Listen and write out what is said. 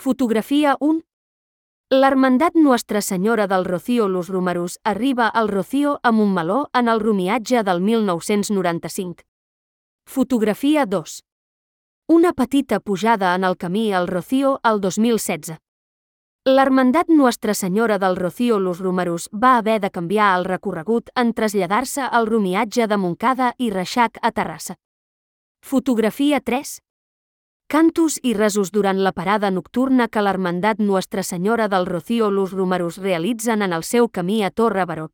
Fotografia 1. L'Hermandat Nuestra Senyora del Rocío Los Romerus arriba al Rocío a Montmeló en el romiatge del 1995. Fotografia 2. Una petita pujada en el camí al Rocío el 2016. L'Hermandat Nuestra Senyora del Rocío Los Romerus va haver de canviar el recorregut en traslladar-se al romiatge de Montcada i Reixac a Terrassa. Fotografia 3. Cantos i resos durant la parada nocturna que l'Hermandat Nuestra Senyora del Rocío Los Romerus realitzen en el seu camí a Torre Baró.